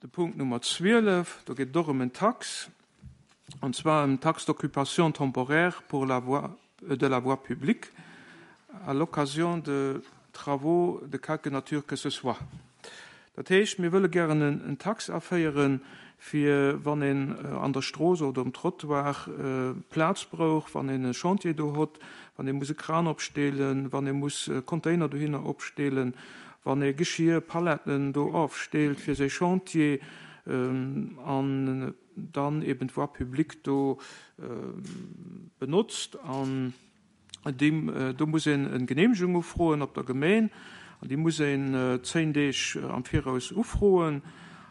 De Punkt Nummer 12, do geet et och ëm en Tax, an zwar ëm d'Taxe d'occupation temporaire pour la voie, de la voie publique à l'occasion de travaux de quelque nature que ce soit. Dat heescht, mir wëlle gären en Tax aféieren, fir wann een an der Strooss oder um Trottoir Plaz brouch, wann een e Chantier do hott, wann ee muss e Kran opsteelen, wann ee muss Container dohinner opsteelen, wann ee Geschir, Paletten do ofsteelt fir säi Chantier an dann eben d'Voie publique do benotzt. An deem, do muss een eng Genehmegung ufroen op der Gemeen an déi muss een 10 Deeg am Viraus ufroen.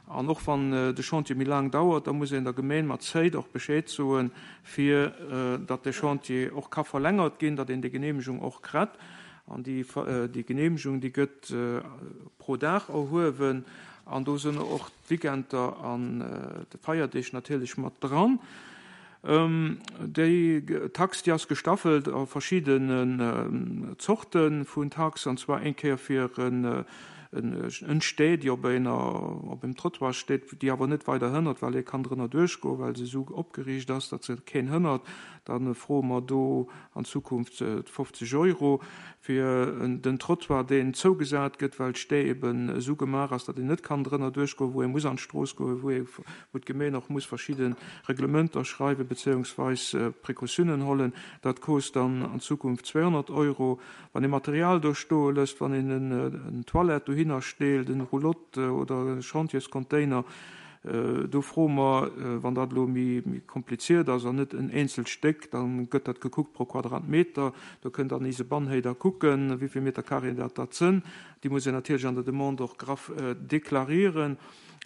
An och wann de Chantier méi laang dauert, da muss een der Gemeen mat Zéit och Bescheed soen, fir datt de Chantier och ka verlängert ginn, datt een déi Genehmegung och kritt. An déi Genehmegung, déi gëtt pro Dag erhuewen an do sinn och d'Weekender an d'Feierdeeg natierlech mat dran. Déi Tax, déi ass gestaffelt a verschiddenen Zorte vun Tax, an zwar eng Kéier fir en Stee, déi op enger, op engem Trottoir steet, déi awer net weider hënnert, well ee kann drënner duerchgoen, well se esou opgeriicht ass, datt se keen hënnert. Da froe mer do an Zukunft 50 Euro fir den Trottoir, deen zougesat gëtt, well d'Stee eben esou gemaach ass, datt een net kann drënner duerchgoen, wou ee muss an d'Strooss goen, wou ee, wou d'Gemeen och muss verschidde Reglementer schreiwen bezéiungsweis Précautiounen hollen. Dat kost dann an Zukunft 200 Euro. Wann ee Material do stoe lësst, wann een en Toilette dohinner steelt, en Roulotte oder e Chantierscontainer, Do froe mer, wann dat elo méi kompliziert ass an net en eenzelt Stéck, da gëtt dat gekuckt pro Quadratmeter. Do kënnt dann ise Bannhéider kucken, wéi vill Meter carré dat dat sënn. Déi muss een natierlech an der Demande och graff deklarieren.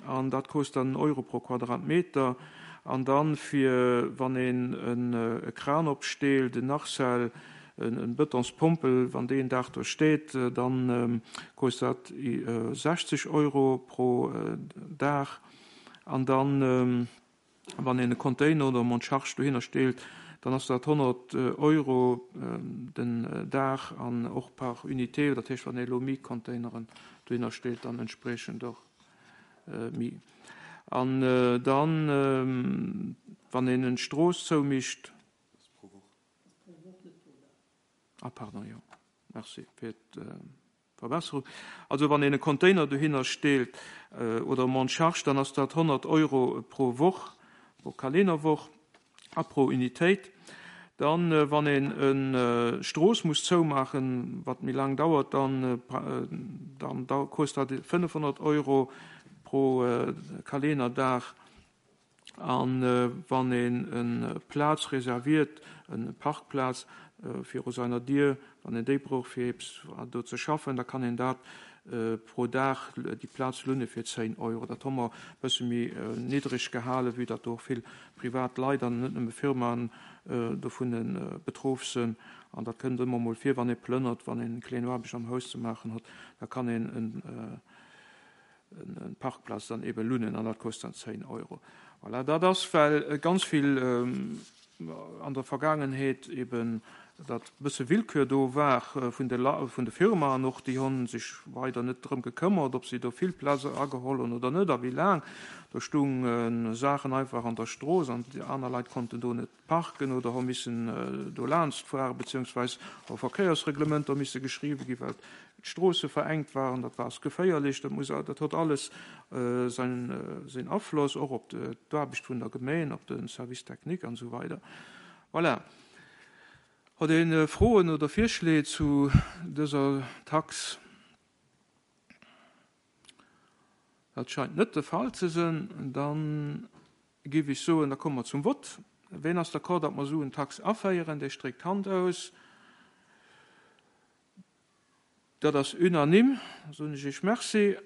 An dat kost dann en Euro pro Quadratmeter. An dann, fir wann een e Kran opsteelt, en Arcel, En Betonspompel, wann deen Dag do steet, dann kost dat 60 Euro pro Dag. An dann, wann een e Container oder e Montcharge dohinner steelt, dann ass dat 100 Euro den Dag an och par Unité. Dat heescht, wann ee elo méi Containeren dohinner steelt, dann entspriechend och méi. An dann, wann een en Strooss zoumicht. Ah, pardon, jo. Merci fir d'Verbesserung. Also wann een e Container dohinner steelt oder e Monte-charge, dann ass dat 100 Euro pro Woch, pro Kalennerwoch a pro Unitéit. Dann, wann een e Strooss muss zoumaachen, wat méi laang dauert, dann dann kost dat 500 Euro pro Kalennerdag. A wann een e Plaz reserviert, e Parkplaz viru seiner Dier, wann een déi brauch fir eppes do ze schaffen, da kann een dat pro Dag déi Plaz lunne fir 10 Euro. Dat hu mer e bësse méi niddreg gehalen, vue datt do och vill privat Leit an net nëmme Firmaen dovun betroff sinn. An dat kënnt ëmmer mol vir, wann ee plënnert, wann een kleng Aarbecht am Haus ze maachen huet, da kann een en en Parkplaz dann eben lunnen an dat kost dann 10 Euro. Voilà, dat ass well ganz vill an der Vergaangenheet eben dat bësse Willkür do war vun de vun de Firmaen och, déi hunn sech weider net drëm gekëmmert, ob si do vill Plaz ageholl hunn oder net a wéi laang. Do stounge Saachen einfach an der Strooss an déi aner Leit konnten do net parken oder hu missen do laanscht fueren, beziehungsweis hu Verkéiersreglementer misse geschriwwe gi well d'Stroosse verengt waren. Dat war geféierlech, dat muss, dat huet alles säin seng Afloss och op d'Aarbecht vun der Gemeen, op de Service technique an esou weider. Voilà. Huet ee Froen oder Virschléi zu dëser Tax? Dat scheint net de Fall ze sinn. Dann géif ech soen, da komme mer zum Vott. Ween ass d'accord, datt mer esou en Tax aféieren? Dee stréckt d'Hand aus. Dat ass unanime. Da soen ech Iech Merci.